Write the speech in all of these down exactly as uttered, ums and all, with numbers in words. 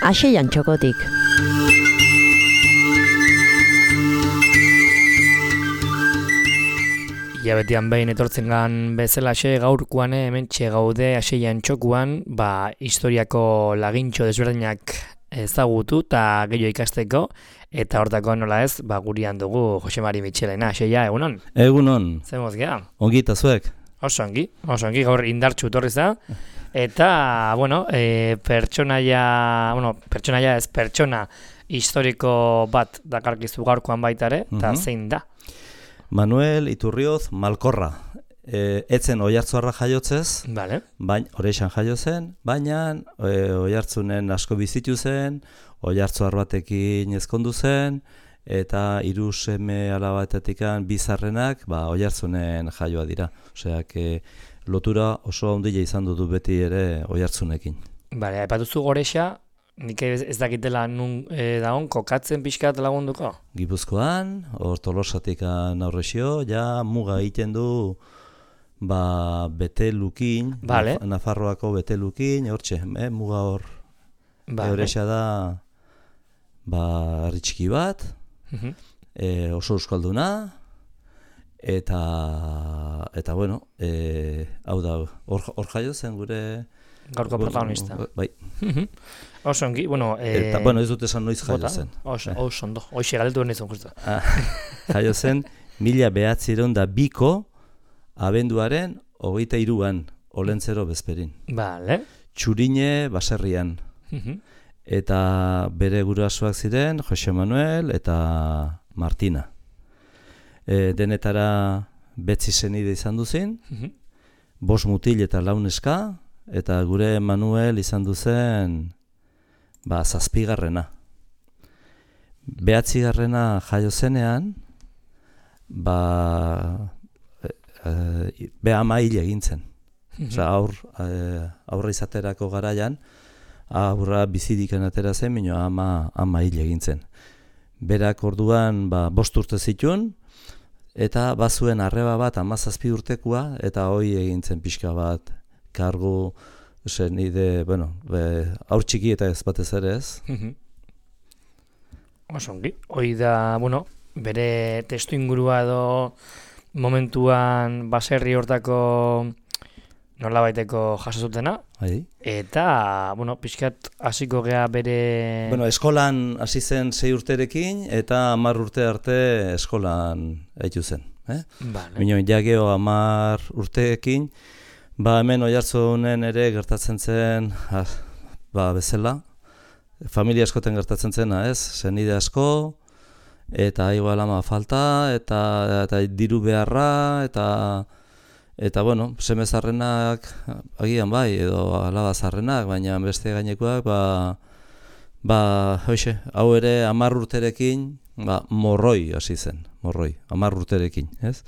Axeian txokotik. Ilabetian behin etortzen gan bezalaxe gaurkoan hementxe gaude Axeian txokuan, ba, historiako lagintxo desberdinak ezagutu eta gehiago ikasteko, eta hortako nola ez, ba, gurian dugu Jose Mari Mitxelena. Axeia, egunon? Egunon. Zemoz geha? Ongi eta zuek? Oso ongi, oso ongi, gaur indartxu torri za. Eta, bueno, e, pertsonaia, bueno, pertsonaia ez, pertsona historiko bat dakarkizu gaurkoan baitare, eta Mhm. zein da? Manuel Iturrioz Malkorra. E, etzen Oiartzuarra jaiotzez, Vale. bain, Orexan jaio zen, baina e, Oiartzunen asko bizitu zen, Oiartzuar batekin ezkondu zen, eta hiru seme alabatetik bizarrenak ba, Oiartzunen jaioa dira. Osea, que lotura oso handia izan dutu beti ere Oiartzunekin. Bale, aipatuzu Gorexa, nik ez, ez dakitela nun e, dagoen, kokatzen pixkat lagunduko? Gipuzkoan, hor Tolosatik aurrexio, ja muga egiten du ba, Betelukin, Vale. Naf- Nafarroako Betelukin, hortxe, eh, muga hor. Vale. Eurexa da ba, herri txiki bat, Mhm. e, oso euskalduna, eta, eta bueno, e, hau da, hor, hor jaio zen gure... Gaurko protagonista. Bai, Mhm. Oso ongi, bueno... E, eta bueno, ez dut esan noiz jaio bota? zen. Oso, Eh. oso ondo, hoxe galdetu benizun justu. Ah, jaio zen, mila behatziron da biko, abenduaren hogeita hiruan, Olentzero bezperin. Vale. Txurine baserrian. Mhm. Eta bere gurasoak ziren Jose Manuel eta Martina. E, denetara betzi senide izan duzin, Mhm. bost mutil eta lau neska, eta gure Manuel izan duzen ba, zazpigarrena. Behatzigarrena jaio zenean, ba, e, e, be ama hil egin zen. Mhm. Osea, aur, e, aurra izaterako garaian, aurra bizidiken atera zen, mino ama, ama hil egin zen. Berak orduan ba, bost urte zituen, eta bazuen arreba bat hamazazpi urtekoa, eta hoi egin zen pixka bat, kargu, zen nide, bueno, be, aur txiki eta ez batez ere ez. Mhm. Oso ongi. Hoi da, bueno, bere testu ingurua edo momentuan baserri hortako nolabaiteko jaso zutena, Bai. eta, bueno, pixkat hasiko gea bere... Bueno, eskolan hasi zen sei urterekin, eta hamar urte arte eskolan haitu zen. Eh? Vale. Mino, ja geho hamar urteekin, ba hemen Oiartzunen ere gertatzen zen, ah, ba bezala, familia askoten gertatzen zena, ez? Senide asko, eta igual ama falta, eta, eta diru beharra, eta eta bueno, seme zarrenak agian bai, edo alaba zarrenak, baina beste gainekoak, ba, ba hoxe, hau ere hamar urterekin, ba, morroi hasi zen, morroi, hamar urterekin, ez?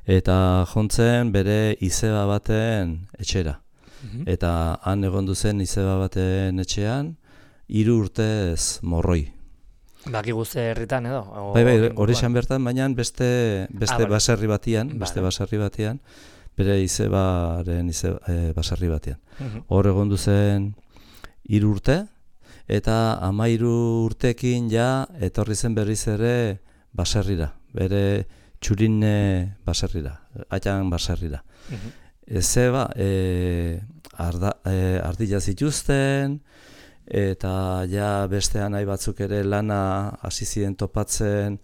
Eta jontzen bere izeba baten etxera. Mhm. Eta han egondu zen izeba baten etxean, hiru urtez morroi. Baki guzti herritan edo? o- Bai, bai, inguruan? hori esan bertan, baina beste, beste Ah, vale. baserri batian, beste Vale. baserri batian, bere izebaren izeba, e, baserri batian. Mhm. Hor egondu zen hiru urte, eta hamairu urtekin ja etorri zen berriz ere baserrira, bere Txurine baserrira, Atxan baserrira. Mhm. Ezeba, e, arda, e, ardila zituzten, eta ja beste anai batzuk ere lana hasi ziren topatzen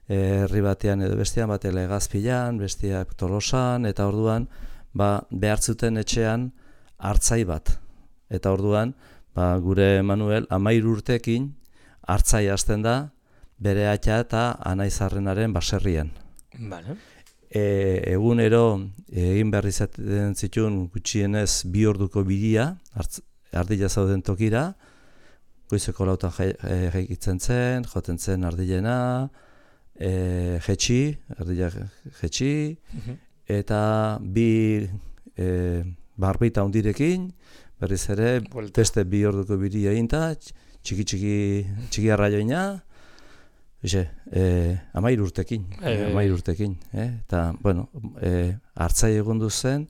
e, herri batean edo bestean bat Legazpilan, besteak Tolosan, eta orduan ba, behartzuten etxean hartzai bat. Eta orduan ba, gure Manuel hamairu urtekin hartzai hasten da bere atxa eta anaizarrenaren baserrian. Vale. E, egunero egin behar izaten zituen gutxienez bi orduko bidia, hartz, ardila zauden tokira, goizeko lautan jaikitzen zen, joten zen ardilena, e, jetxi, ardila jetxi, Mhm. eta bi e, barbita hundirekin, berriz ere, Buelta. beste bi orduko bidia eginta, txiki txiki, txiki arraioina, Bize, eh, amair urtekin, Bai, bai, bai. amair urtekin, eh? Eta, bueno, eh, hartzai egon zen,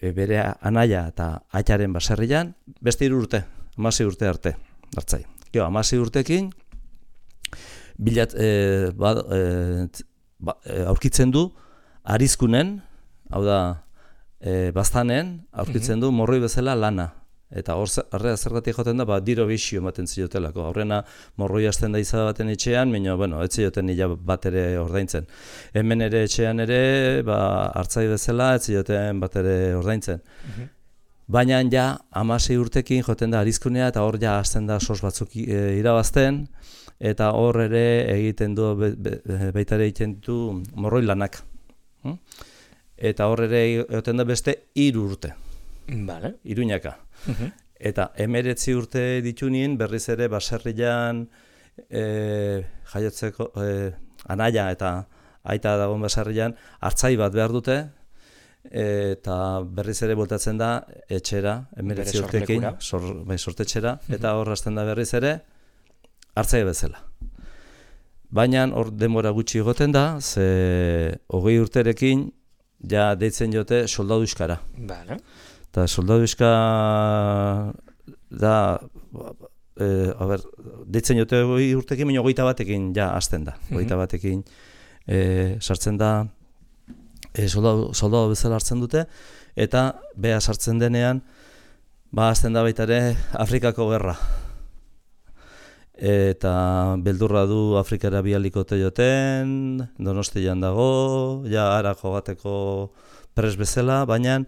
e, bere anaia eta aitaren baserrian, beste hiru urte, hamasei urte arte, hartzai. Gero, hamasei urtekin, bilat, e, ba, e, ba, e, aurkitzen du, arizkunen, hau da, e, baztanen, aurkitzen du morroi bezala lana. Eta horrea zergatik joten da, ba, diro bisio ematen ziotelako. Horrena morroi hasten da izan baten etxean, baina, bueno, ez zioten nila bat ere ordaintzen. Hemen ere etxean ere, ba, hartzai bezala, ez zioten bat ere ordaintzen. Uh-huh. Baina, ja, hamasei urtekin joten da arizkunea, eta hor ja hasten da sos batzuk e, irabazten, eta hor ere egiten du, be, be, baita ere egiten du morroi lanak. Hmm? Eta hor ere egiten da beste hiru urte. Vale. Iruñaka. Uh-huh. Eta emeretzi urte ditu nien, berriz ere baserrian e, jaiotzeko e, anaia eta aita dagoen baserrian hartzai bat behar dute, eta berriz ere voltatzen da etxera, emeretzi urtekin, sor, bai, sortetxera, uh-huh. Eta hor hasten da berriz ere hartzai bezala. Baina hor denbora gutxi egoten da, ze hogei urterekin ja deitzen jote soldadu euskara. Vale. Eta soldadu euska da, e, a ber, deitzen jote hogei urtekin, baina hogeita batekin ja hasten da. Hogeita batekin e, sartzen da, e, soldadu, soldadu bezala hartzen dute, eta beha sartzen denean, ba hasten da baita ere Afrikako gerra. Eta beldurra du Afrikara bialikote joten, Donostian dago, ja ara jogateko pres bezala, baina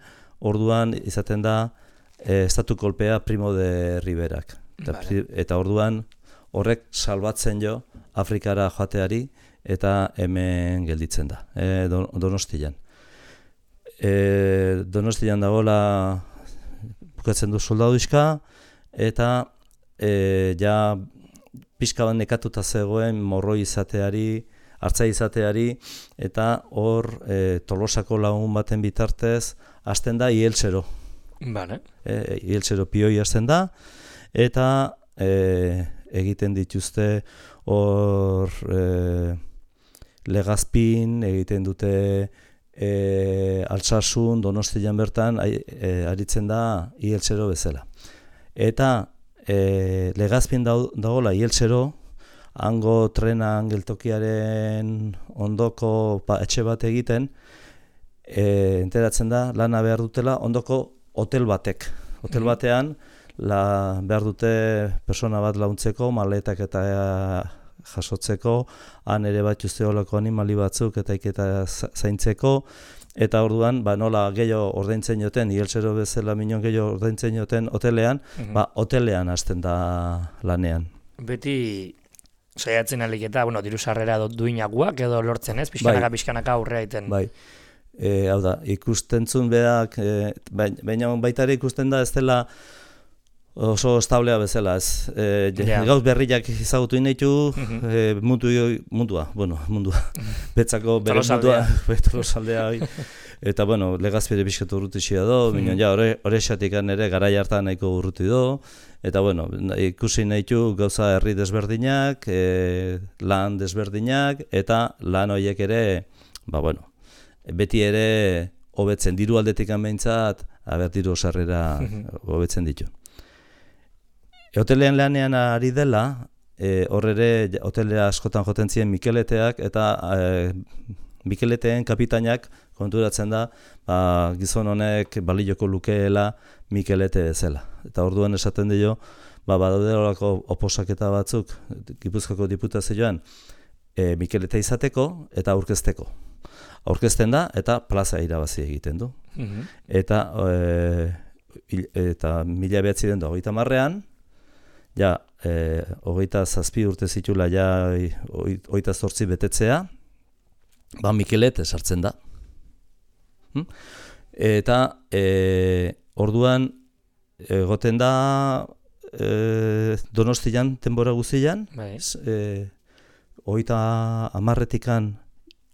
orduan izaten da e, estatu kolpea Primo de Riverak. Eta, vale. Eta orduan horrek salbatzen jo Afrikara joateari eta hemen gelditzen da, e, Donostian. E, Donostian dagoela bukatzen du soldaduizka, eta e, ja pixka bat nekatuta zegoen morroi izateari, hartzai izateari, eta hor e, Tolosako lagun baten bitartez hasten da ieltsero. Vale. E, ieltsero pioi hasten da, eta e, egiten dituzte hor e, Legazpin, egiten dute e, Altsasun, Donostian bertan, e, aritzen da ieltsero bezala. Eta e, Legazpin dagoela ieltsero, hango trenan geltokiaren ondoko ba, etxe bat egiten, E, enteratzen da, lana behar dutela ondoko hotel batek. Hotel batean la, behar dute persona bat launtzeko, maletak eta e, jasotzeko, han ere bat usteolako animali batzuk eta iketa zaintzeko, eta orduan, ba, nola gehiago ordaintzen joten, ieltsero bezala minon gehiago ordaintzen joten hotelean, uh-huh. Ba, hotelean hasten da lanean. Beti saiatzen alik eta, bueno, diru sarrera duinaguak edo lortzen ez, pixkanaka, bai. Pixkanaka aurrea iten. Bai. E, hau da, ikustentzun berak, e, baina baita ere ikusten da ez dela oso establea bezala, ez. E, yeah. Gauz berriak ezagutu inaitu, mm-hmm. e, mundu, mundua, bueno, mundua, betzako bere mundua, Tolosaldea, eta, bueno, Legazpire bizkatu urruti xia do, mm-hmm. Bino, ja, hori esatikan ere garai hartan nahiko urruti do, eta, bueno, ikusi nahitu gauza herri desberdinak, e, lan desberdinak, eta lan horiek ere, ba, bueno, beti ere hobetzen diru aldetik behintzat, aber diru sarrera hobetzen ditu. E, hotelean lanean ari dela, e, hor ere hotelea askotan joten ziren Mikeleteak, eta e, Mikeleteen kapitainak konturatzen da, ba, gizon honek balioko lukeela Mikelete bezala. Eta orduan esaten dio, ba, badaudelako oposaketa batzuk, Gipuzkoako diputazioan, e, Mikelete izateko eta aurkezteko. Aurkezten da eta plaza irabazi egiten du. Mm-hmm. Eta e, eta mila behatzi den da hogeita marrean, ja, e, hogeita zazpi urte zitula ja hogeita zortzi betetzea, ba Mikelete sartzen da. Hm? Eta e, orduan egoten da e, Donostian denbora guztian, e, hogeita hamarretikan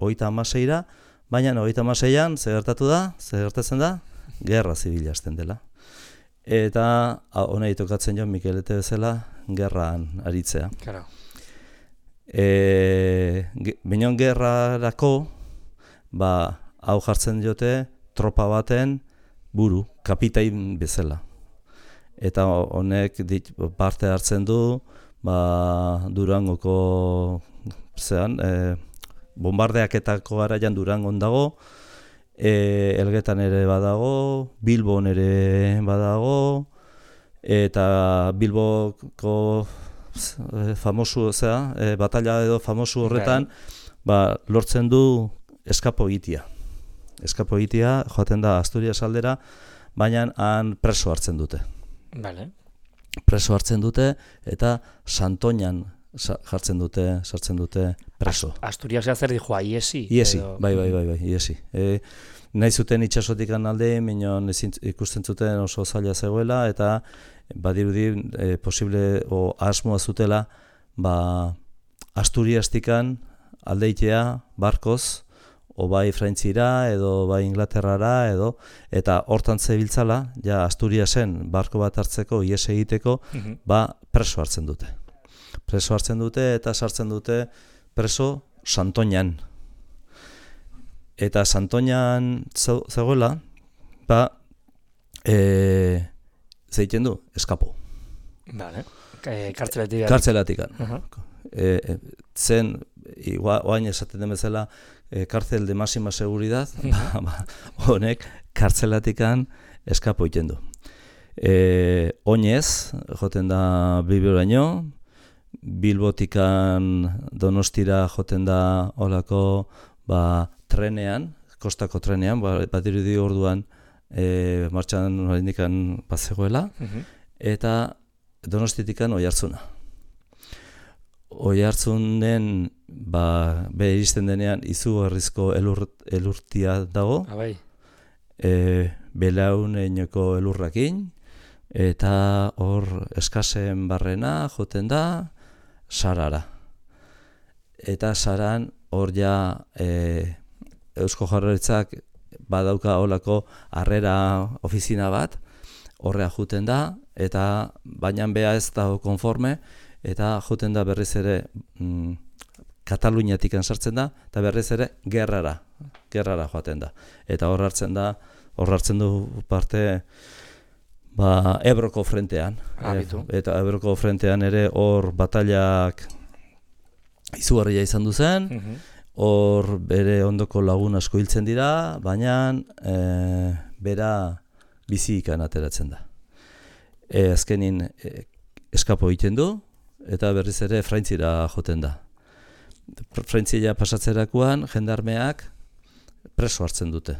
hogeita hamaseira, baina hogeita hamaseian zer gertatu da, zer gertatzen da, gerra zibila hasten dela. Eta honei tokatzen joan Mikelete bezala, gerran aritzea. Claro. E, Binon gerrarako, ba, hau jartzen diote tropa baten buru, kapitain bezala. eta honek dit, parte hartzen du ba, Durangoko zean, e, bombardeaketako garaian Durangon dago, e, Elgetan ere badago, Bilbon ere badago, eta Bilboko famosu, zera, e, batalla edo famosu horretan, ba, lortzen du eskapo egitea. Eskapo egitea, joaten da Asturias aldera, baina han preso hartzen dute. Vale. Preso hartzen dute, eta Santoñan jartzen dute, sartzen dute preso. Asturiasea zer dijoa, iesi? Iesi, edo... bai, bai, bai, bai, iesi. E, nahi zuten itxasotik alde, minon ikusten zuten oso zaila zegoela, eta badirudi e, posible o asmoa zutela ba, Asturiastikan aldeitea barkoz, o bai Frantzira edo bai Inglaterrara edo, eta hortan zebiltzala, ja Asturiasen barko bat hartzeko, ies egiteko, uh-huh. ba preso hartzen dute. Preso hartzen dute eta sartzen dute preso Santoñan. Eta Santoñan zegoela, ba, e, zeiten du, eskapo. Vale. E, kartzelatik. Kartzelatikan. Uh-huh. e, e, zen, oain esaten den bezala, e, kartzel de máxima seguridad, ba, ba, honek kartzelatikan eskapo iten du. E, oinez, joten da Bilboraino, Bilbotikan Donostira joten da olako ba, trenean, kostako trenean, ba, bat irudi orduan e, martxan oraindikan bazegoela, uh-huh. eta Donostitikan Oiartzuna. Oiartzunen ba, be iristen denean izugarrizko elur, elurtia dago, Abai. e, belauneinoko elurrakin, eta hor eskasen barrena joten da Sarara. Eta Saran hor ja e, Eusko Jaurlaritzak badauka holako harrera ofizina bat, horrea juten da, eta baina bea ez dago konforme, eta joten da berriz ere mm, Kataluniatik sartzen da, eta berriz ere gerrara, gerrara joaten da. Eta hor hartzen da, hor hartzen du parte ba, Ebroko frentean. E, eta Ebroko frentean ere hor batailak izugarria izan du zen, hor uh-huh. bere ondoko lagun asko hiltzen dira, baina e, bera bizi ikan ateratzen da. E, azkenin e, eskapo egiten du, eta berriz ere Frantzira joten da. Frantzia pasatzerakoan jendarmeak preso hartzen dute.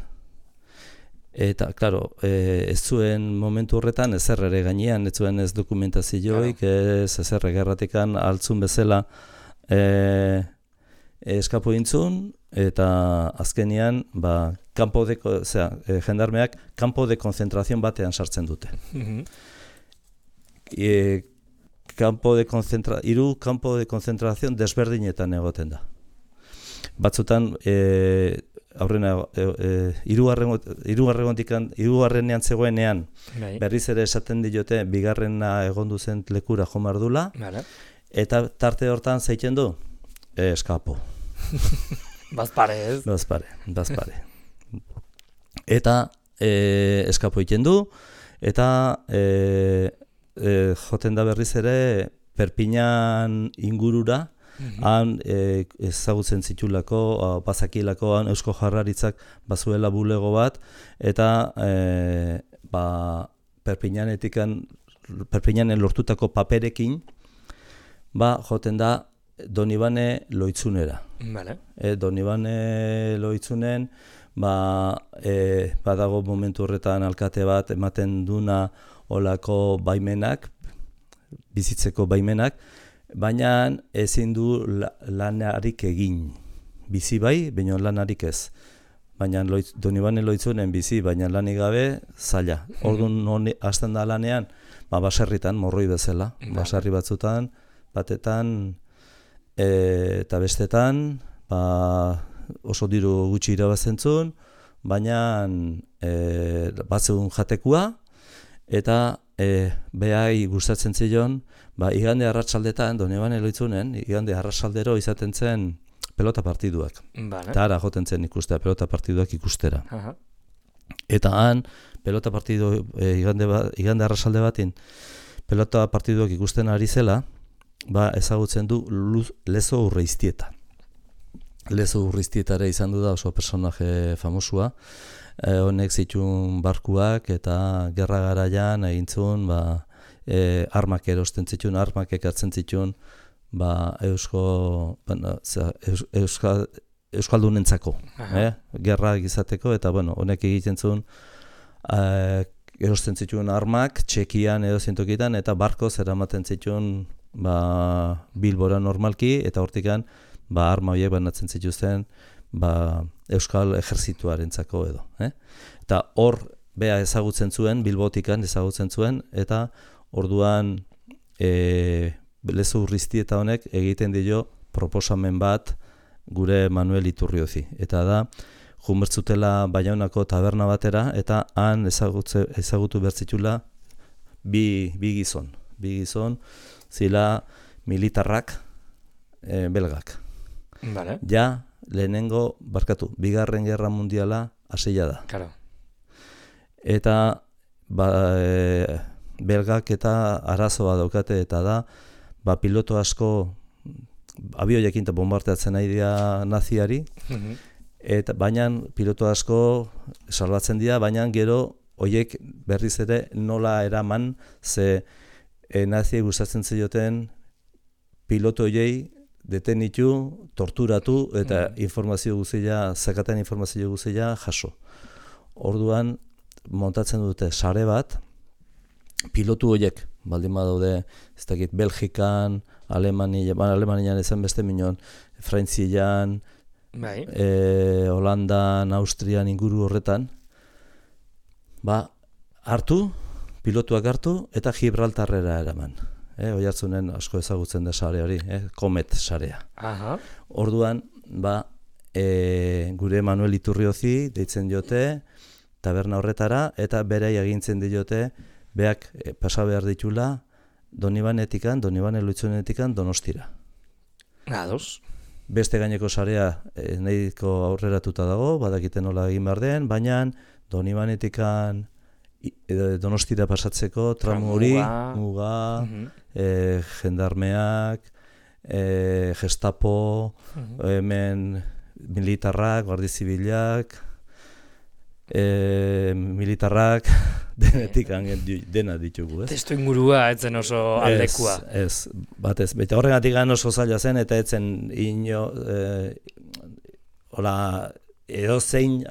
Eta, klaro, e, ez zuen momentu horretan ezer ere gainean, ez zuen ez dokumentazioik, claro. ez ezer gerratikan altzun bezala e, eskapo intzun, eta azkenian, ba, kampo de, zera, e, jendarmeak kampo de konzentrazion batean sartzen dute. Uh-huh. E, kampo de konzentra, iru kampo de konzentrazion desberdinetan egoten da. Batzutan, e, aurrena, e, e, hirugarrenean zegoenean, Bai. berriz ere esaten diote, bigarrena egondu zen lekura jomardula, vale. Eta tarte hortan zeiten du, e, eskapo. Bazpare ez? Bazpare, bazpare. Eta e, eskapo egiten du, eta e, e, joten da berriz ere Perpiñan ingurura, uh-huh. han e, ezagutzen zitulako, bazakilako han Eusko Jaurlaritzak bazuela bulego bat, eta e, ba, Perpiñanetikan, Perpiñanen lortutako paperekin, ba, joten da Donibane Loitzunera. Vale. E, Donibane Loitzunen, ba, e, badago momentu horretan alkate bat ematen duna olako baimenak, bizitzeko baimenak, baina ezin du lanarik egin. Bizi bai, baina lanarik ez. Baina loitz, Donibane Loitzunen bizi, baina lanik gabe, zaila. Orduan hasten da lanean, ba, baserritan, morroi bezala. Baserri batzutan, batetan, e, eta bestetan, ba, oso diru gutxi irabazentzun, baina e, batzun jatekua, eta e, behai gustatzen zion, ba, igande arratsaldetan, Donibane Loitzunen, igande arratsaldero izaten zen pelota partiduak. Vale. Eta ara joten zen ikustea pelota partiduak ikustera. Aha. Eta han pelota partidu, e, igande, ba, igande arrasalde batin, pelota partiduak ikusten ari zela, ba, ezagutzen du Luz, Lezo Urreiztieta. Lezo Urreiztietara izan du da oso personaje famosua, e, honek zituen barkuak eta gerra garaian egintzun, ba, e, armak erosten zituen, armak ekartzen zituen, ba, eusko, bueno, eus, euskal, euskaldunentzako, eh? Gerra izateko, eta bueno, honek egiten zuen, e, erosten zituen armak, Txekian edo zintokitan, eta barkoz eramaten zituen ba, Bilbora normalki, eta hortikan ba, arma horiek banatzen zituzten ba, Euskal Ejerzituarentzako edo. Eh? Eta hor bea ezagutzen zuen, Bilbotikan ezagutzen zuen, eta orduan e, Lezo Urreiztieta honek egiten dio proposamen bat gure Manuel Iturriozi. Eta da, junbertzutela Baionako taberna batera, eta han ezagutze, ezagutu bertzitula bi, bi gizon. Bi gizon, zila militarrak, e, belgak. Vale. Ja, lehenengo, barkatu, bigarren gerra mundiala hasia da. Claro. Eta ba, e, belgak eta arazoa daukate, eta da, ba, piloto asko abioiekin eta bombardeatzen nahi dira naziari, Mhm. eta baina piloto asko salbatzen dira, baina gero hoiek berriz ere nola eraman, ze e, naziei gustatzen zioten piloto hoiei detenitu, torturatu eta Mm. informazio guztia, zakaten informazio guztia jaso. Orduan montatzen dute sare bat, pilotu hoiek baldin badaude, ez dakit, Belgikan, Alemania, ba, Alemanian ezen beste minon, Frantzian, Bai. e, Holandan, Austrian inguru horretan, ba, hartu, pilotuak hartu, eta Gibraltarrera eraman. E, Oiartzunen asko ezagutzen da sare hori, e, Komet sarea. Aha. Orduan, ba, e, gure Manuel Iturriozi deitzen diote, taberna horretara, eta berai agintzen diote, beak e, pasa behar ditula, Donibanetikan, Donibane Loitzunetikan Donostira. Ados. Beste gaineko sarea e, nahiko aurreratuta dago, badakiten nola egin behar den, baina Donibanetikan i- e, Donostira pasatzeko tramu hori, Muga. muga, Mhm. e, jendarmeak, e, Gestapo, Mhm. hemen militarrak, guardi zibilak, e, militarrak, denetik angen di- dena ditugu, ez? Testu ingurua etzen oso aldekua. Ez, ez, batez, bete horregatik oso zaila zen, eta etzen ino, e, hola, edo zein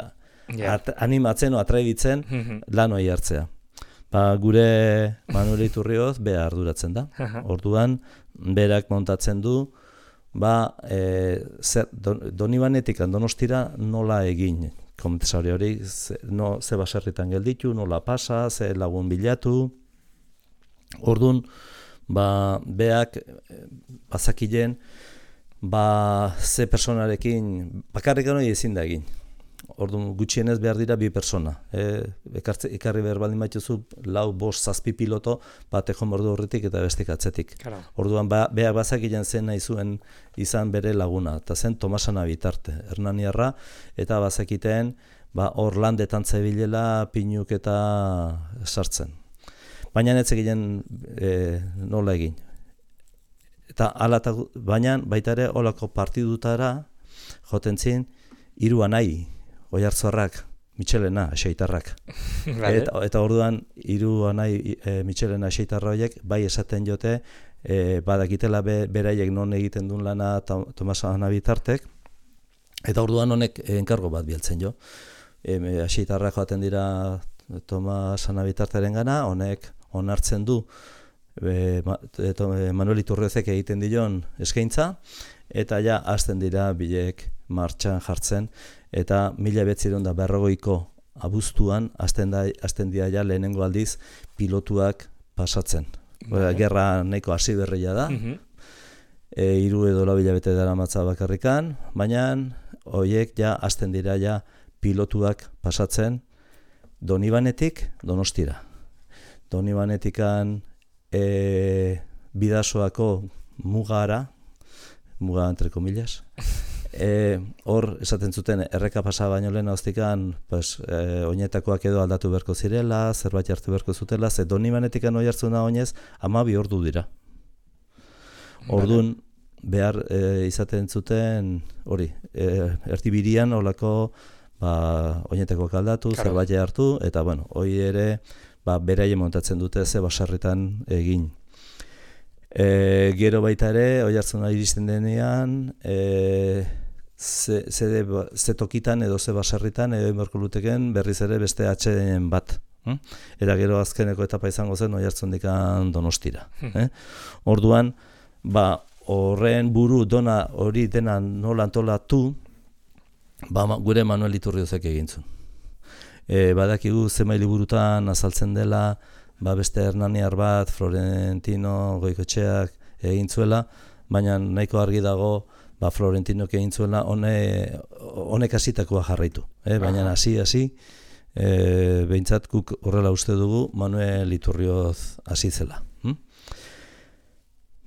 Ja. at, animatzen o atraibitzen Mhm. lan hori hartzea. Ba, gure Manuel Iturrioz bea arduratzen da. Aha. Orduan, berak montatzen du, ba, e, zer, don, Donibanetik Donostira nola egin komisario hori, ze, no, ze baserritan gelditu, nola pasa, ze lagun bilatu. Orduan, ba, beak e, bazakilen, ba, ze personarekin, bakarrik hori ezin da egin. Orduan, gutxienez behar dira bi persona. E, ekartze, ekarri behar baldin baituzu, lau, bost, zazpi piloto, batek jomordu horretik eta bestik atzetik. Claro. Orduan, ba, beak bazakilen zen nahi zuen izan bere laguna, eta zen Tomasana bitarte, Hernaniarra, eta bazakiten, ba, hor landetan zebilela pinuk eta sartzen. Baina ez egiten e, nola egin. Eta alata, baina baita ere holako partidutara joten zin hiru anai, Oiartzarrak, Mitxelena, Axeitarrak. Vale. Eta, eta orduan hiru anai e, Mitxelena, Axeitarra horiek bai esaten jote e, badakitela be, beraiek non egiten duen lana Tomas Ana bitartek, eta orduan honek enkargo bat bialtzen jo. E, Axeitarrak joaten dira Tomas Ana bitarteren gana, honek onartzen du e, ma, e, to, e, Manuel Iturriozek egiten dion eskaintza, eta ja hasten dira bilek martxan jartzen, eta mila bederatzizero eta berrogeiko abuztuan hasten da hasten dira ja lehenengo aldiz pilotuak pasatzen. Vale. Gerra nahiko hasi berria da. Mhm. E, hiru edo lau hilabete daramatza bakarrikan, baina hoiek ja hasten dira ja pilotuak pasatzen Donibanetik Donostira. Donibanetikan e, Bidasoako mugara, muga entre comillas, E, hor, esaten zuten, erreka pasa baino lehen hoztikan, pues, e, oinetakoak edo aldatu beharko zirela, zerbait hartu beharko zutela, ze Donibanetikan oi hartzuna oinez, hamabi ordu dira. Ordun behar e, izaten zuten, hori, e, ertibirian olako, ba, oinetakoak aldatu, claro. Zerbait hartu, eta, bueno, hoi ere, ba, beraien montatzen dute ze basarritan egin. E, gero baita ere, oi hartzuna iristen denean, e, ze, ze, ze tokitan edo ze basarritan edo inberko luteken berriz ere beste atxeden bat. Hm? Eta gero azkeneko etapa izango zen oi hartzundikan Donostira. eh? Orduan, ba, horren buru dona hori dena nola antolatu, ba, gure Manuel Iturriozek egintzun. E, badakigu zenbait liburutan azaltzen dela, ba beste hernaniar bat, Florentino Goikotxeak egin zuela, baina nahiko argi dago ba Florentinok egin zuela, hone, honek hasitakoa jarraitu. Eh? Baina hasi hasi e, behintzat guk horrela uste dugu Manuel Iturrioz hasi zela. Hm?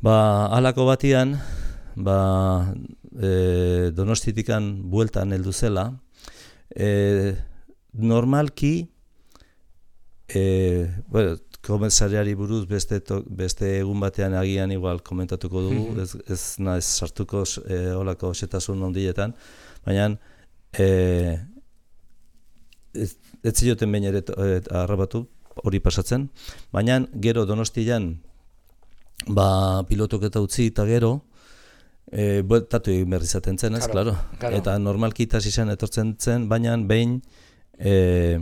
Ba, halako batian, ba, e, Donostitikan bueltan heldu zela, e, normalki E, bueno, komisariari buruz beste, to, beste egun batean agian igual komentatuko dugu, ez, ez naiz sartuko e, olako xetasun ondietan, baina e, ez, ez zioten behin ere e, harrapatu hori pasatzen, baina gero Donostian ba, pilotok eta utzi eta gero e, bueltatu egin behar izaten zen, ez, claro, claro. Eta normalki itasi zen etortzen zen, baina behin e,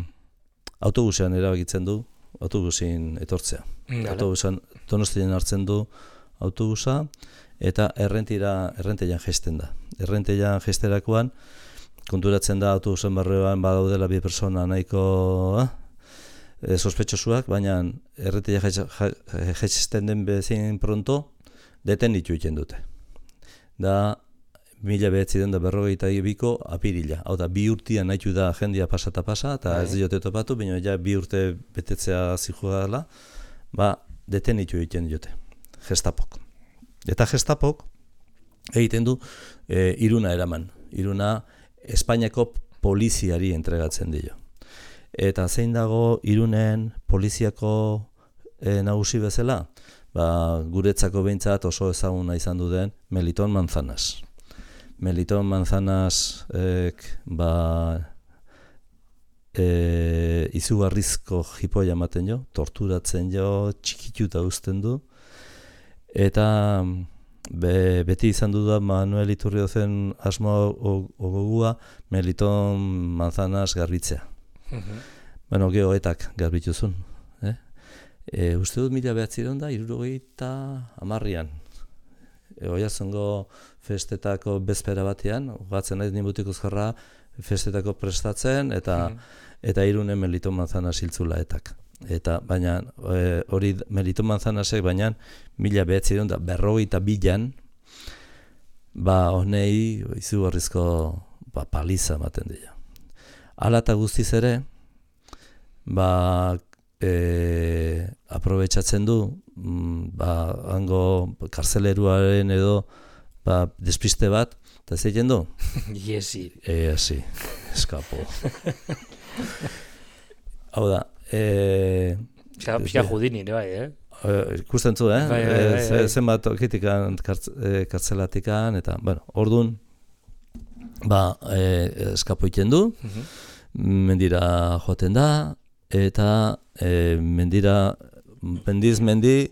autobusean erabakitzen du, autobusin etortzea. Mm, autobusan Donostian hartzen du autobusa, eta errentira, errenteian jesten da. Errenteian jesterakoan, konturatzen da autobusen barruan badaudela bi persona nahiko eh, sospetxosuak, baina errenteian jesten den bezin pronto, detenitu egiten dute. Da, mila behatziren da berrogeita biko apirila. Hau da, bi urtean nahitu da jendia pasata pasa, eta ez diote topatu, baina ja bi urte betetzea zihua dela, ba, detenitu egiten diote, Gestapok. Eta Gestapok egiten du e, Iruna eraman. Iruna Espainiako poliziari entregatzen dio. Eta zein dago Irunen poliziako e, nagusi bezala? Ba, guretzako behintzat oso ezaguna izan du den Meliton Manzanas. Meliton Manzanas ek, ba, e, izugarrizko jipoia ematen jo, torturatzen jo, txikituta uzten du, eta be, beti izan du da Manuel Iturriozen asmo ogogua Meliton Manzanas garbitzea. Uh-huh. Bueno, geoetak garbituzun. Eh? E, uste dut mila behatziron da, hirurogeita hamarrian. E, Oiartzungo festetako bezpera batean, gatzen naiz nibutik uzkarra festetako prestatzen, eta mm. eta Irunen Meliton Manzanas hiltzula etak. Eta baina e, hori Meliton Manzanasek baina mila behatziron da berrogeita bilan, ba honei izugarrizko ba, paliza ematen dira. Hala eta guztiz ere, ba e, aprobetxatzen du, ba hango karzeleruaren edo ba, despiste bat, eta ez egin du? Iesi. E, asi, eskapo. Hau da, e... Pixka judini, bai, eh? Ikusten zu, eh? Bai, bai, bai, bai. Zenbat okitikan kartzelatikan, eta, bueno, orduan, ba, e, eskapo egiten du, uh-huh. Mendira joaten da, eta e, mendira, mendiz mendi,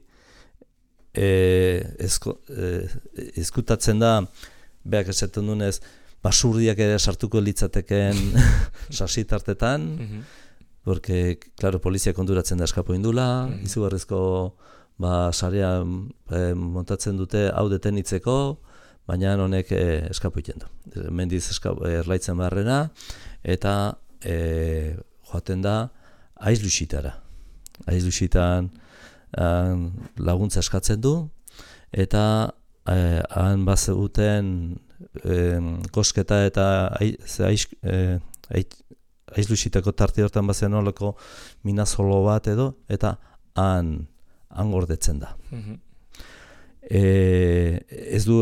E, ezko, e, ezkutatzen da beak esaten dunez basurdiak ere sartuko litzateken sasitartetan mm-hmm. porque, claro, polizia konturatzen da eskapo indula, mm-hmm. izugarrizko ba, sarea e, montatzen dute hau detenitzeko, baina honek e, eskapo iten du. Mendiz eskapo, erlaitzen barrena, eta e, joaten da Aizluxitara. Aizluxitan Han laguntza eskatzen du, eta eh, han bazeguten eh, kosketa eta aizluxitako tarte hortan bazen olako minazolo bat edo, eta han, han gordetzen da. Mm-hmm. e, ez, du,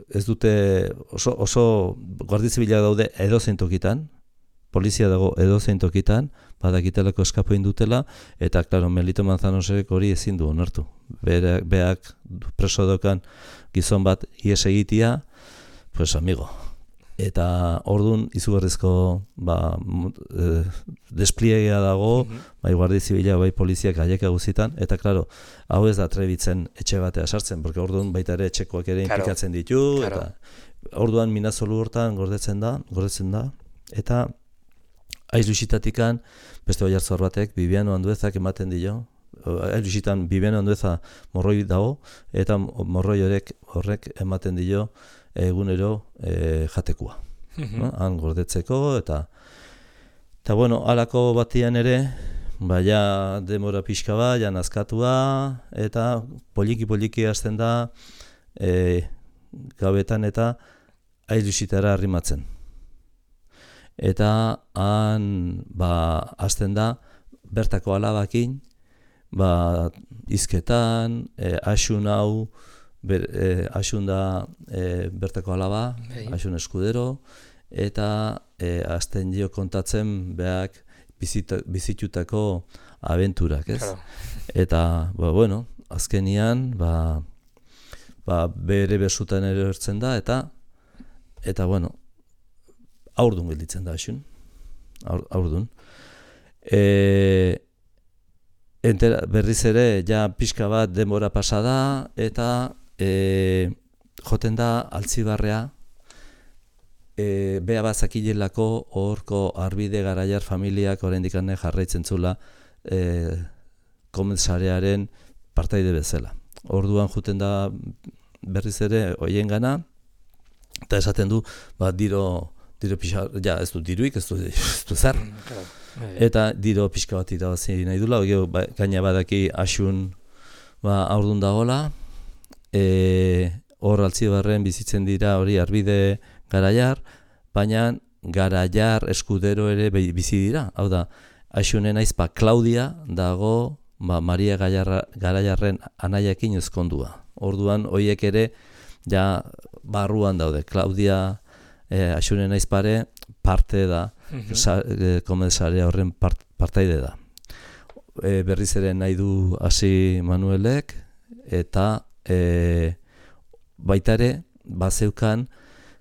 ez dute oso, oso guardia zibila daude edozein tokitan, polizia dago edozein tokitan, badakitelako eskapo indutela, eta, klaro, Melito Manzanosek hori ezin du onartu. Beak, beak preso dokan gizon bat ies egitia, pues amigo. Eta ordun izugarrizko ba, e, despliegea dago, mm-hmm. bai guardia zibila, bai poliziak aieka guzitan, eta, klaro, hau ez da trebitzen etxe batea sartzen, porque orduan baita ere etxekoak ere inplikatzen ditu, claro. Eta orduan minazolu hortan gordetzen da, gordetzen da, eta Ailuxitatikan beste oiartzor batek Bibiano Anduezak ematen dio. Ailuxitan Bibiano Andueza morroi dago eta morroi horrek horrek ematen dio egunero e, jatekua. Mm-hmm. No? Han gordetzeko eta eta bueno, halako batian ere baia demora pixka bat, ja nazkatua eta poliki poliki hasten da e, gabetan eta Ailuxitara arrimatzen. Eta han ba hasten da bertako alabakin ba hizketan e, asun hau ber, e, asun da e, bertako alaba, hey. Asun Eskudero eta e, hasten dio kontatzen beak bizita, bizitutako abenturak, ez? Claro. Eta ba bueno, azkenian ba ba bere besutan ere ertzen da eta eta bueno aurdun gelditzen da asun, Aur, aurdun. E, entera, berriz ere, ja pixka bat denbora pasada, eta e, joten da Altzibarrea, e, bea bazakilelako horko Arbide Garaiar familiak oraindik ane jarraitzen zula e, komentsarearen partaide bezala. Orduan joten da berriz ere hoien gana, eta esaten du, ba, diro Diro pixka, ja, ez du diruik, ez du, ez du zer. Eta diro pixka bat irabazi nahi dula, ba, gaina badaki asun ba, aurdun dagoela. E, hor Altzibarren bizitzen dira hori Arbide Garaiar, baina Garaiar Eskudero ere bizi dira. Hau da, asunen aizpa Klaudia dago ba, Maria Garaiarren anaiakin ezkondua. Orduan, hoiek ere ja barruan daude. Klaudia E, asunen aizpare parte da, mm-hmm. sa, e, komensarea horren part, partaide da. E, berriz ere nahi du hasi Manuelek, eta e, baita ere, bazeukan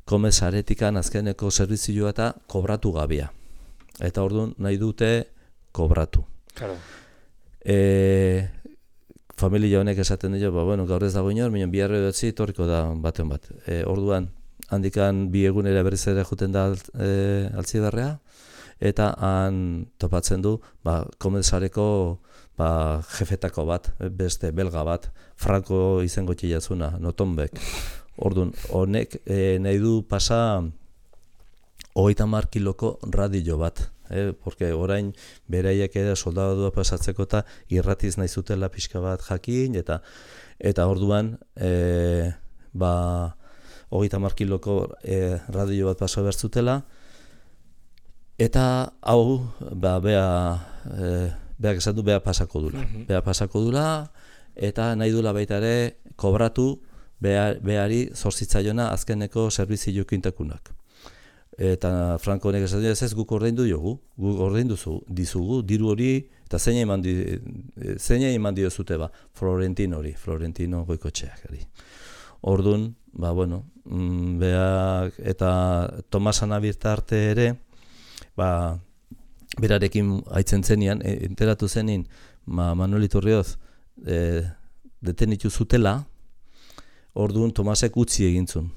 komensaretikan azkeneko servizioa eta kobratu gabia. Eta orduan nahi dute kobratu. Claro. E, familia honek esaten dio, ba, bueno, gaur ez dago inor, minon biharre dutzi, torriko da baten bat. E, orduan, handikan bi egunera berriz ere juten da e, Altzibarrea, eta han topatzen du ba, komensareko ba, jefetako bat, beste belga bat, Franco izango txilatzuna, Notonbek. Orduan, honek e, nahi du pasa hogeita hamar kiloko radio bat, eh? Porque orain beraiek ere soldadua pasatzeko eta irratiz nahi zutela pixka bat jakin, eta eta orduan e, ba hogeita hamar kiloko e, radio bat paso bertzutela, eta hau, ba, bea, e, beak esan du, bea pasako dula. Mm-hmm. Bea pasako dula, eta nahi dula baita ere, kobratu bea, beari zorzitzaiona azkeneko servizio kintakunak. Eta Franco honek esan du, ez ez guk ordaindu jogu, guk ordaindu dizugu, diru hori, eta zeina eman, di, zeina eman dio zute ba, Florentino hori, Florentino Goikotxeak. Orduan, ba, bueno, beak eta Tomas Anabirta arte ere, ba, berarekin aitzen zenian, e, enteratu zenin, ma, Manuel Iturrioz e, detenitu zutela, orduan Tomasek utzi egintzun,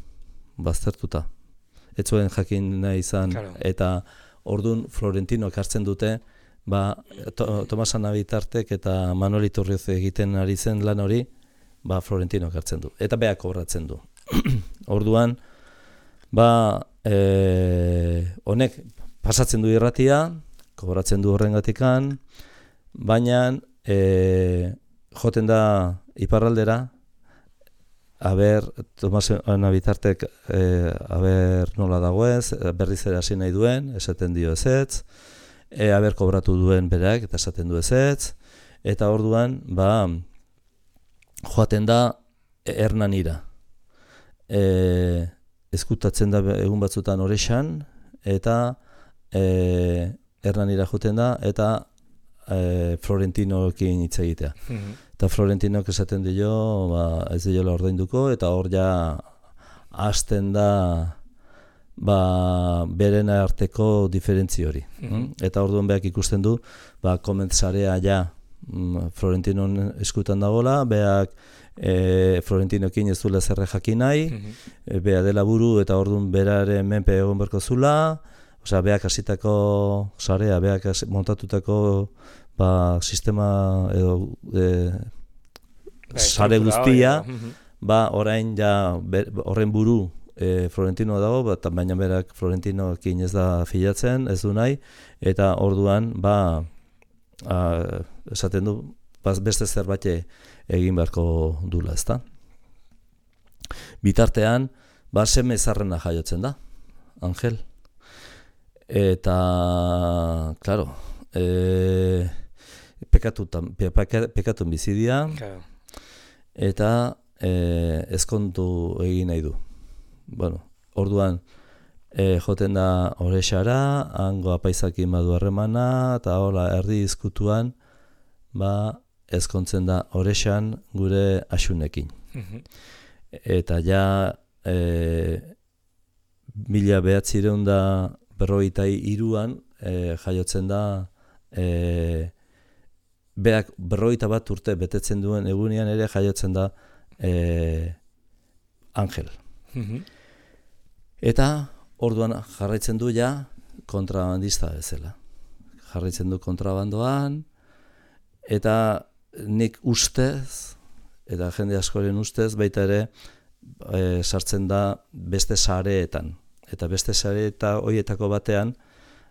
baztertuta. Ez zuen jakin nahi izan, claro. Eta orduan Florentino hartzen dute, ba, to, Tomas Anabitartek eta Manuel Iturrioz egiten ari zen lan hori, ba, Florentino hartzen du, eta beak kobratzen du. Orduan, ba, e, honek pasatzen du irratia, kobratzen du horrengatikan, baina e, joten da iparraldera, aber, Tomas Anabitartek, e, aber nola dagoez, berriz ere hasi nahi duen, esaten dio ezetz, e, aber kobratu duen berak, eta esaten du ezetz, eta orduan, ba, joaten da Hernanira. E, ezkutatzen da egun batzutan Orexan, eta e, Hernanira joten da, eta e, Florentinoekin hitz egitea. Mm-hmm. Eta Florentinok esaten dio, ba, ez diola ordainduko, eta hor ja hasten da ba, beren arteko diferentzi hori. Mm-hmm. Eta orduan beak ikusten du, ba, komentzarea ja Florentinon eskutan dagoela, beak e, Florentinoekin ez duela zerre jakin nahi, mm-hmm. e, bea dela buru eta orduan beraren menpe egon berko zula, osea, beak hasitako sarea, beak montatutako ba, sistema edo e, sare guztia, ba, orain ja ber, horren buru e, Florentino dago, bat, baina berak Florentinoekin ez da filatzen, ez du nahi, eta orduan ba, a, esaten du, beste zerbait egin beharko dula, ezta? Bitartean, ba, seme zarrena jaiotzen da, Angel. Eta, claro, e, pekatun pekatu bizidia, claro. Eta e, ezkontu egin nahi du. Bueno, orduan, e, joten da Orexara, hango apaizakin badu harremana, eta hola, erdi izkutuan, ba, ezkontzen da Orexan gure Axunekin. Mm-hmm. Eta ja, e, mila behatzireun da berrogeita hiruan e, jaiotzen da e, beak berrogeita bat urte betetzen duen egunean ere jaiotzen da e, Angel. Mm-hmm. Eta orduan jarraitzen du ja kontrabandista bezala. Jarraitzen du kontrabandoan, eta nik ustez, eta jende askoren ustez, baita ere e, sartzen da beste sareetan. Eta beste sare eta hoietako batean,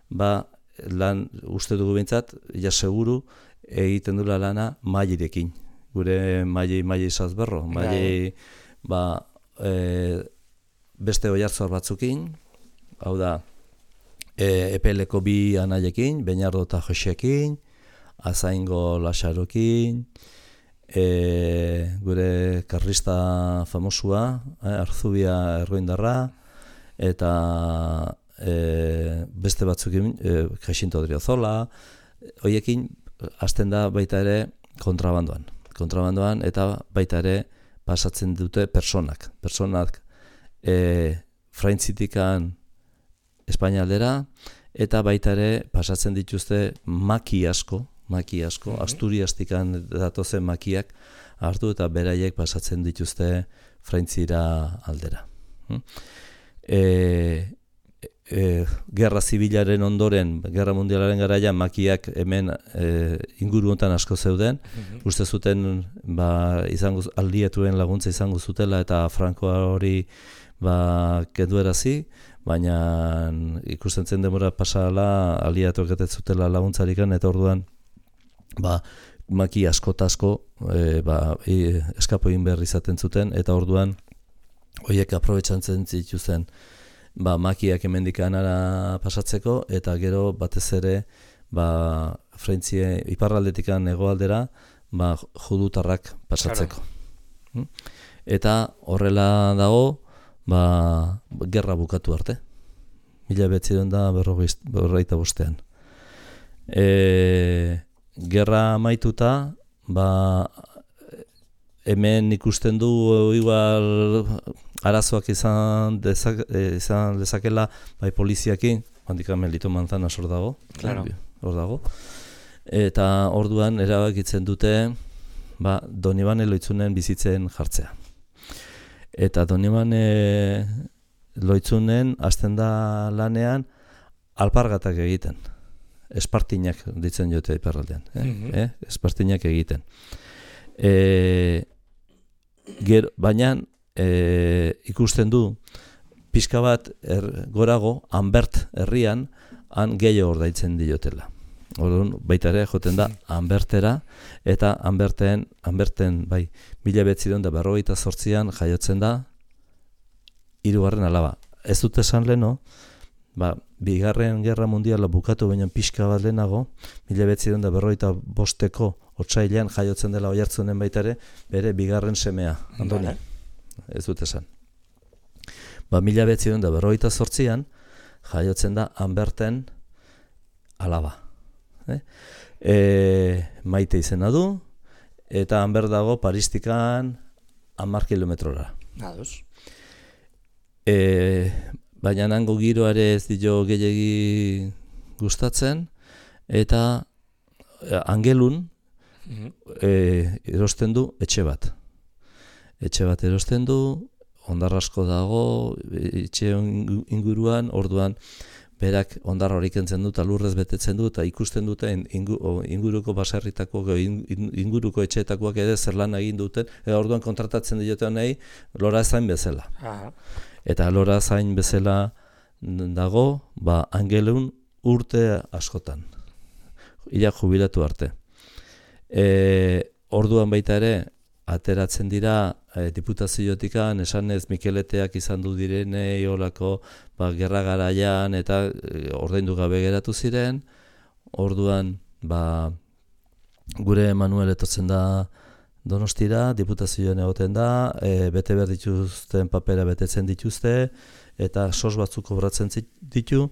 ba, lan uste dugu behintzat, ja seguru egiten dula lana Mailerekin. Gure Maile Maile Izazberro, Maile ba, e, beste oihartzur batzukin, hau da, e, E P L-ko bi anaiekin, Beñardo eta Josekin, Azaingo Lasarokin, e, gure karlista famosua, eh, Arzubia Erroindarra, eta e, beste batzukin, e, Jacinto Odriozola, hoiekin hasten da baita ere kontrabandoan. Kontrabandoan eta baita ere pasatzen dute personak. Personak e, Fraitzitikan Espainialdera, eta baita ere pasatzen dituzte maki asko, maki asko, mm-hmm. Asturiastikan datozen makiak hartu eta beraiek pasatzen dituzte Fraitzira aldera. Hm? E, e, Gerra Zibilaren ondoren, Gerra Mundialaren garaian makiak hemen e, inguru honetan asko zeuden, mm-hmm. uste zuten ba, izango, aldietuen laguntza izango zutela eta Frankoa hori ba, kenduerazi, baina ikusten zen demora pasala aliatuak ez zutela laguntzarikan, eta orduan ba, maki asko eta asko e, ba, e, eskapo egin behar izaten zuten, eta orduan horiek aprobetxantzen zituzten ba, makiak hemendik anara pasatzeko, eta gero batez ere ba, Frentzie iparraldetikan hegoaldera ba, judutarrak pasatzeko. Claro. Eta horrela dago ba, gerra bukatu arte. Mila behatziehun da berrogeita bostean. E, gerra amaituta, ba, hemen ikusten du igual arazoak izan, dezak, izan dezakela bai poliziakin, handik Melito Manzana hor dago, claro. hor dago. Eta orduan erabakitzen dute ba, Donibane Loitzunen bizitzen jartzea. Eta Donibane Loitzunen hasten da lanean alpargatak egiten. Espartinak ditzen jote iparraldean. Eh? Mm-hmm. eh? Espartinak egiten. E, ger, baina e, ikusten du pixka bat er, gorago Anbert herrian han gehiago ordaitzen diotela. Orduan baita ere joten da Anbertera, eta Anberten, Anberten bai, mila behatziehun eta berrogeita zortzian jaiotzen da hirugarren alaba. Ez dut esan leno, ba, bigarren gerra mundiala bukatu baina pixka bat lehenago, mila behatziehun eta berrogeita bosteko otsailean jaiotzen dela Oiartzunen baita ere, bere bigarren semea, Andoni. Vale. ez dut esan. Ba, mila behatziehun eta berrogeita zortzian, jaiotzen da Anberten alaba. Eh? E, maite izena du, eta Anber dago Paristikan hamar kilometrora. Ados. E, baina nango giroare ez dio gehiagi gustatzen, eta Angelun e, erosten du etxe bat. Etxe bat erosten du, hondar asko dago, etxe inguruan, orduan berak hondar hori kentzen du, eta lurrez betetzen du, eta ikusten dute inguruko baserritako, inguruko etxeetakoak ere zer lan egin duten, eta orduan kontratatzen diote nahi lora zain bezala. Aha. Eta lora zain bezala dago, ba, Angelun urte askotan, ila jubilatu arte. E, orduan baita ere, ateratzen dira e, diputaziotikan, esanez Mikeleteak izan du direnei olako ba, gerra garaian eta e, ordaindu gabe geratu ziren. Orduan ba, gure Manuel etortzen da Donostira, diputazioan egoten da, e, bete behar dituzten papera betetzen dituzte, eta sos batzuk kobratzen ditu,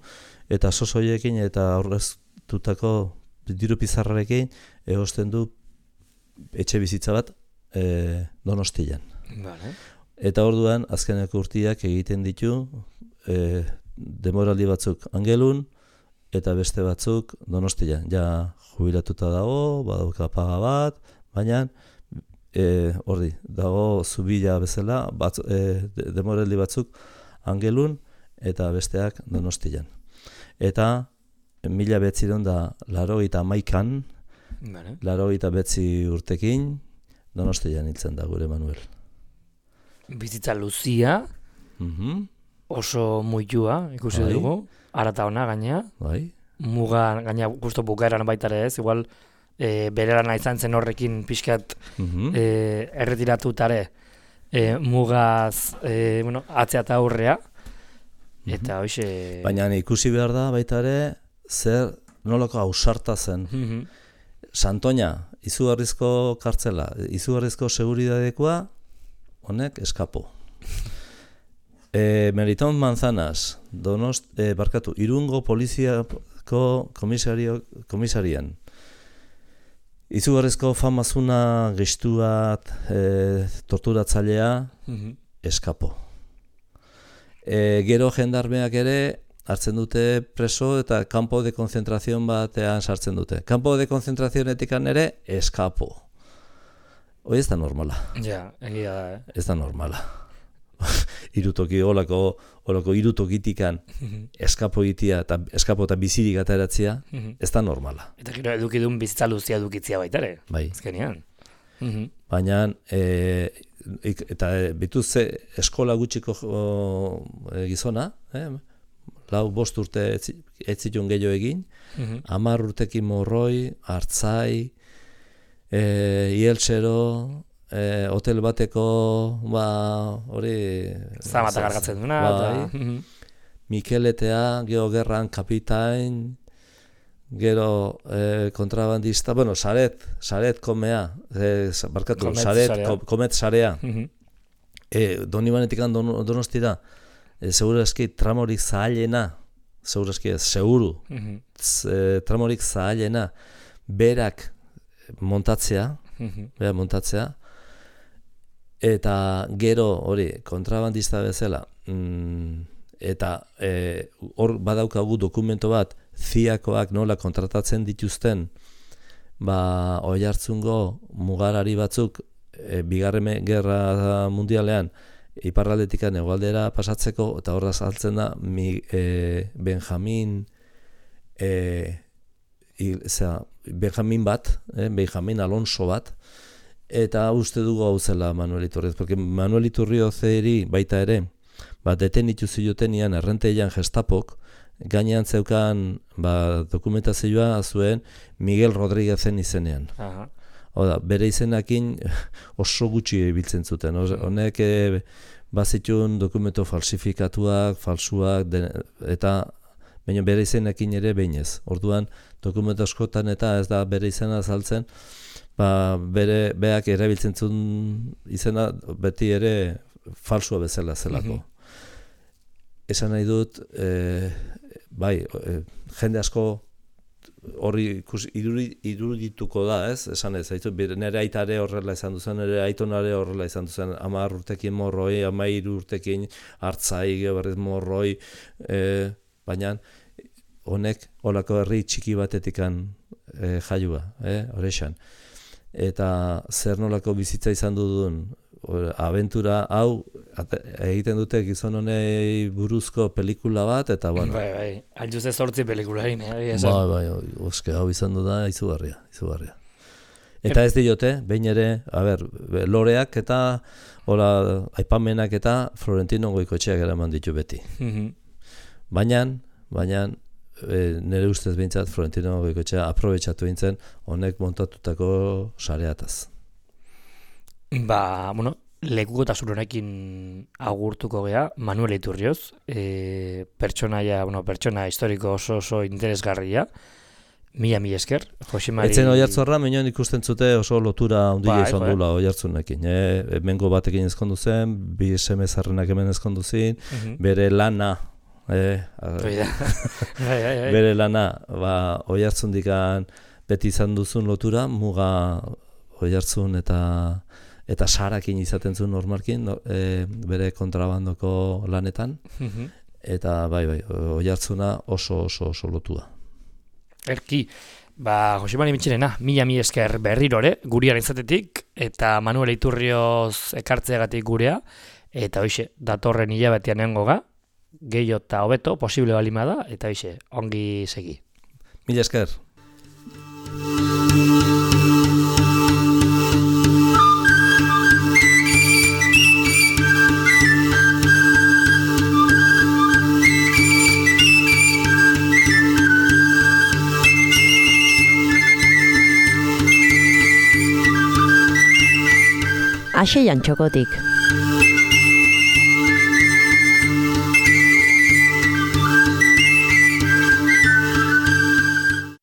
eta sos horiekin eta aurreztutako diru pizarrarekin egosten du etxe bizitza bat e, Donostian. Vale. Eta orduan azkeneko urtiak egiten ditu e, demoraldi batzuk Angelun eta beste batzuk Donostian. Ja jubilatuta dago, badauka paga bat, baina e, ordi, dago zubila bezala, batz, e, demoraldi batzuk Angelun eta besteak Donostian. Eta mila behatziehun da laurogeita hamaikan, vale. laurogeita bederatzi urtekin, Donostian hiltzen da gure Manuel. Bizitza luzia, Mm-hmm. oso muitua, ikusi Bai. dugu, arata ona gaina, Bai. muga gaina justo bukaeran baita ere ez, igual e, bere lana izan zen horrekin pixkat Mm-hmm. e, erretiratutare e, mugaz e, bueno, atzea eta aurrea, eta hoxe... Baina ikusi behar da baita ere, zer nolako ausarta zen. Mhm. Santoña, izugarrizko kartzela, izugarrizko seguridadekoa, honek eskapo. E, Meriton Manzanas, Donost, e, barkatu, Irungo poliziako komisario, komisarian. Izugarrizko famazuna, gestuat, e, torturatzailea, Mhm. eskapo. E, gero jendarmeak ere hartzen dute preso eta kanpo de konzentrazion batean sartzen dute. Kanpo de konzentrazionetikan ere eskapo. Hoi ez da normala. Ja, egia da, eh? Ez da normala. Irutoki, olako, olako irutokitikan eskapo egitea eta eskapo eta bizirik ateratzea, Mhm. ez da normala. Eta gero edukidun bizitza luzia edukitzia baita ere, Bai. azkenean. Mhm. Baina, e, ik, eta e, bituz eskola gutxiko o, e, gizona, eh? lau bost urte ez ez zituen gehiago egin, Mhm. hamar urtekin Morroi, Artzai, e, Ieltsero, e, hotel bateko, ba, hori... Zamata gargatzen duna, bai, eta... Mhm. Mikeletea, gero gerran kapitain, gero e, kontrabandista, bueno, saret, saret komea, e, barkatu, Komet saret, sarea. ko, komet sarea, Mhm. e, Donibanetikan don, Donostira, e, seguru eski tramorik zahalena, seguru eski ez, seguru, Mhm. z, e, tramorik zahalena, berak montatzea, Mhm. berak montatzea, eta gero hori kontrabandista bezala, mm, eta e, hor badaukagu dokumento bat, ziakoak nola kontratatzen dituzten, ba, Oiartzungo mugarari batzuk, e, bigarren gerra mundialean, iparraldetikan hegoaldera pasatzeko, eta horra saltzen da, mi, e, Benjamin, e, il, zera, Benjamin bat, eh, Benjamin Alonso bat, eta uste dugu hau zela Manuel Iturrioz, porque Manuel Iturriozeri baita ere, ba, detenitu ziotenean errenteian Gestapok, gainean zeukan ba, dokumentazioa zuen Miguel Rodríguezen izenean. Aha. Oda, bere izenakin oso gutxi biltzen zuten. Oz, honek e, bazitun dokumento falsifikatuak, falsuak, den, eta baina bere izenakin ere behinez. Orduan, dokumento askotan eta ez da bere izena azaltzen, ba, bere beak erabiltzen zuen izena beti ere falsua bezala zelako. Esan nahi dut, e, bai, e, jende asko horri irudituko da, ez? Esan ez, haitu, nire aitare horrela izan duzen, nire aitonare horrela izan duzen, hamar urtekin morroi, hamairu urtekin hartzai, berriz morroi, e, baina honek olako herri txiki batetikan e, jaiua, e, horrexan. Eta zer nolako bizitza izan dudun, abentura hau egiten dute gizon honei buruzko pelikula bat, eta bueno. Bai, bai, altzuze zortzi pelikula egin, eh? Bai, bai, oske, hau izan du da izugarria, izugarria. Eta ez diote, behin ere, a ber, loreak eta, hola, aipamenak eta Florentino Goikotxeak eraman ditu beti. Baina, baina, e, nire ustez behintzat Florentino Goikotxea aprobetxatu bintzen honek montatutako sareataz. Ba, bueno, lekukotasun honekin agurtuko gea, Manuel Iturrioz, e, pertsonaia, bueno, pertsona historiko oso oso interesgarria, mila mila esker, Josemari... Etzen Oiartzorra, minon ikusten zute oso lotura handia bai, izan bai. dula Oiartzunekin. E, hemengo batekin ezkondu zen, bi seme zarrenak hemen ezkondu zin, Mhm. bere lana, e, Hoi da. Bai, bai, bai. bere lana, ba, Oiartzundikan beti izan duzun lotura, muga Oiartzun eta eta sarakin izaten zuen normalkin, no, e, bere kontrabandoko lanetan, Mhm. eta bai, bai, Oiartzuna oso oso oso lotua. Erki, ba, Josemari Mitxirena, mila mila esker berrirore, gurean izatetik, eta Manuel Iturrioz ekartzeagatik gurea, eta hoxe, datorren hilabetean nengo ga, gehiago eta hobeto, posible balima da, eta hoxe, ongi segi. Mila esker. Axeian txokotik.